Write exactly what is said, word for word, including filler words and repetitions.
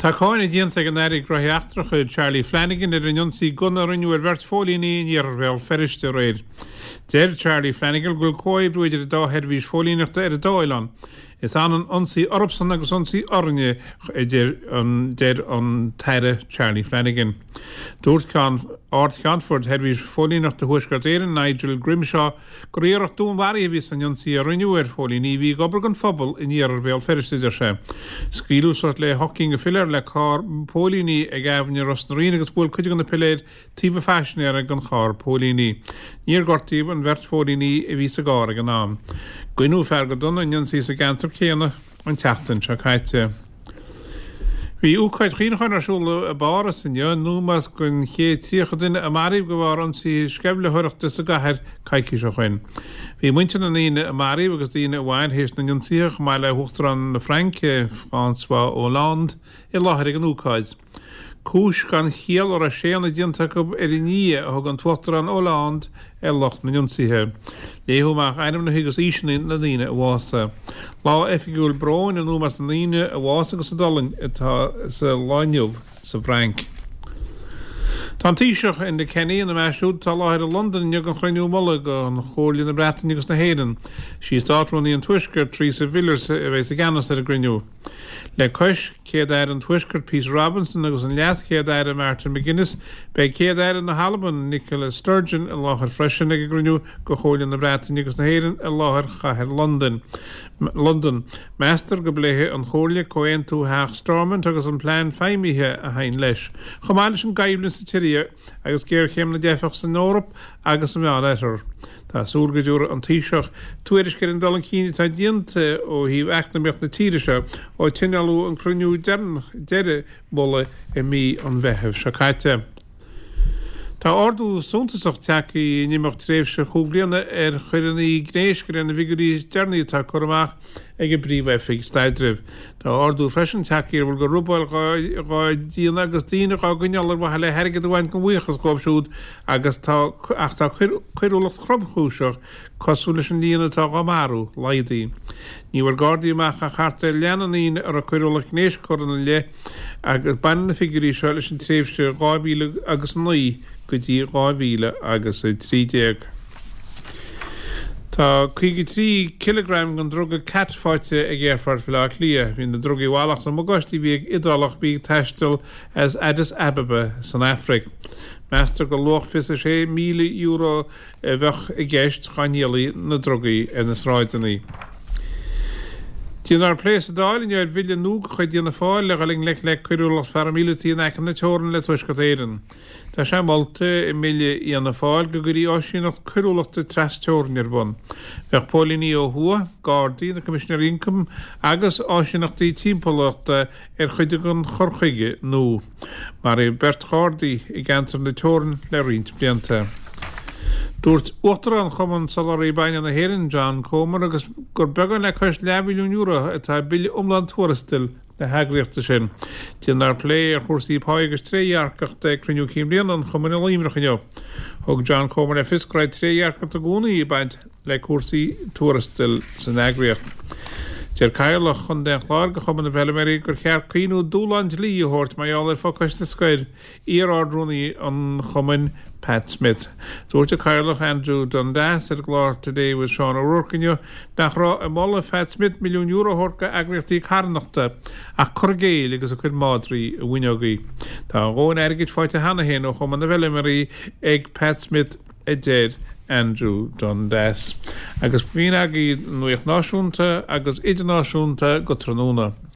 Tá cáineadh déanta ag an Aire Gnóthaí Eachtracha Charlie Flanagan ar an ionsaí gunna a rinneadh ar bheirt phóilíní in iarthar Bhéal Feirste aréir. Deir Charlie Flanagan go bhfuil comhoibriú idir an dá sheirbhís phóilíneachta ar an dá oileán. Is ionann ionsaí orthusan agus ionsaí orainne a deir an deir an tAire Charlie Flanagan. Dúirt ceann Ard-Cheannfort Sheirbhís Phóilíneachta Thuaisceart Éireann Nigel Grimshaw gur iarracht dúnmharaithe a bhí san ionsaí a rinneadh ar phóilíní a bhí ag obair don phobal in iarthar Bhéal Feirste deir sé. Scaoileadh suas le hocht gcinn de philéir le carr póilíní ag Aibhne Ros na Ríon agus bhuail cuid de na piléir taobh an phaisinéara den charr póilíní. Níor gortaíodh an bheirt phóilíní a bhí sa gcarr ag an am. Goineadh fear go dona in ionsaí sa gceantar céanna an tseachtain seo caite. Bhí ócáid chuimhneacháin ar siúl i bPáras inniu in ómós don chéad tríocha duine a maraíodh de bharr ionsaí sceimhlitheoireachta sa gcathair coicís ó shin. Bhí muintir na ndaoine a maraíodh agus daoine a bhain théis na n-ionsaithe chomh maith le hUachtarán na Fraince François Hollande i láthair ag an ócáid. Cúis gan chiall a raibh séanadh déanta acu ar a nDia a thug an tUachtarán Hollande ar lucht na n-ionsaithe. Léadh amach ainmneacha agus aoiseanna na ndaoine a bhásaigh. Lá oifigiúil bróin in ómós na ndaoine a bhásaigh agus a d'fhulaing atá sa lá inniu sa bhFrainc. Tá an Taoiseach Enda Kenny ina measc siúd atá i láthair i Londain inniu don chruinniú mullaigh de Chomhairle na Breataine agus na hÉireann. Sí Státrúnaí an Tuaiscirt Theresa Villiers a bheidh i gceannas ar an gcruinniú. Le cois Céad-Aire an Tuaiscirt Peter Robinson agus an Leas-Chéad-Aire Martin McGuinness, beidh Céad-Aire na hAlban Nicola Sturgeon i láthair freisin ag an gcruinniú de Chomhairle na Breataine agus na hÉireann i láthair chathair Londain. Londain. Meastar go bpléifidh an Chomhairle Comhaontú Theach Stormont agus an plean feidhmithe a théann leis. Chomh maith leis an gcoimhlint sa tSiria agus géarchéim na dteifeach san Eoraip agus an Meánoirthear. Tá súil go dtabharfaidh an Taoiseach tuairisc ar an dul chun cinn atá déanta ó thaobh eacnamaíocht na tíre seo ó tionóladh an cruinniú deireadh mullaigh i mí an Mheithimh seo caite. Tá ardú suntasach tagtha in imeacht tréimhse chúig bliana ar choireanna gnéis de réir na bhfigiúirí is deireanaí atá curtha amach ag an bPríomh-Oifig Staidrimh. Tá ardú freisin tagtha ar a bhfuil de robáil dhá déanamh agus daoine dhá gcoinneáil ar mhaithe le hairgead a bhaint gan bhuíochas dóibh siúd agus tá ach tá coiriúlacht thromchúiseach cosúil leis an líon atá dhá marú laghdaithe. Ní bhfuair Gardaí amach ach thart ar leath na ndaoine a raibh coiriúlacht gnéis curtha ina leith agus baineann na figiúirí seo leis an tréimhse dhá mhíle agus a naoi go dtí dhá mhíle agus a trí déag. Tá caoga trí cileagram den druga khat faighte ag Aerfort Bhaile Átha Cliath. Bhí na drugaí i bhfalach sa mbagáiste a bhí ag Iodálach a bhí ag taisteal as Addis Ababa san Afraic. Meastar gur luach fiche sé míle euro a bheadh i gceist dá ndíolfaí na drugaí ar na sráideanna. Déanfar plé sa Dáil inniu ar bhille nua de chuid Fhianna Fáil le dhul i ngleic le coiriúlacht pharaimíleataí in aice na teorann le Tuaisceart Éireann. Tá sé molta i mbille Fhianna Fáil go gcuirfí áisíneacht coiriúlachta trasteorann ar bun. Bheadh póilíní ó thuaidh, Gardaí, na Coimisinéirí Ioncaim agus áisíneachtaí timpeallachta ar chuid den chur chuige nua. Maraíodh beirt Ghardaí i gceantar na teorann le roinnt blianta. Dúirt Uachtarán Chumann Soláthraí Bainne na hÉireann, John Comer, agus gur beagán le cois leathmhilliún euro atá i bille iomlán tuarastail na heagraíochta sin. Déanfar plé ar chúrsaí pá agus trédhearcachta ag cruinniú cinn bliana an Chumainn i Luimneach inniu. Thug John Comer le fios go raibh trédhearcacht i gcónaí ag baint le cúrsaí tuarastail san eagraíocht. Deir Cathaoirleach Chontae an Chláir de Chumann na bhFeilméaraí gur cheart caoineadh dúshlán dlí a thabhairt mar gheall ar phacáiste scoir iar-ardrúnaí an chumainn Pat Smith. Dúirt an Cathaoirleach Andrew Dundas ar an gclár Today with Sean O'Rourke inniu nach raibh i moladh Pat Smith milliún euro a thabhairt do eagraíochtaí carthanachta ach cur i gcéill agus ag cur madraí i bhfuinneogaí. Tá a dhóthain airgid faighte cheana féin ó Chumann na bhFeilméaraí ag Pat Smith a deir Andrew Dundas. Agus b'in agaibh nuacht náisiúnta agus idirnáisiúnta go tráthnóna.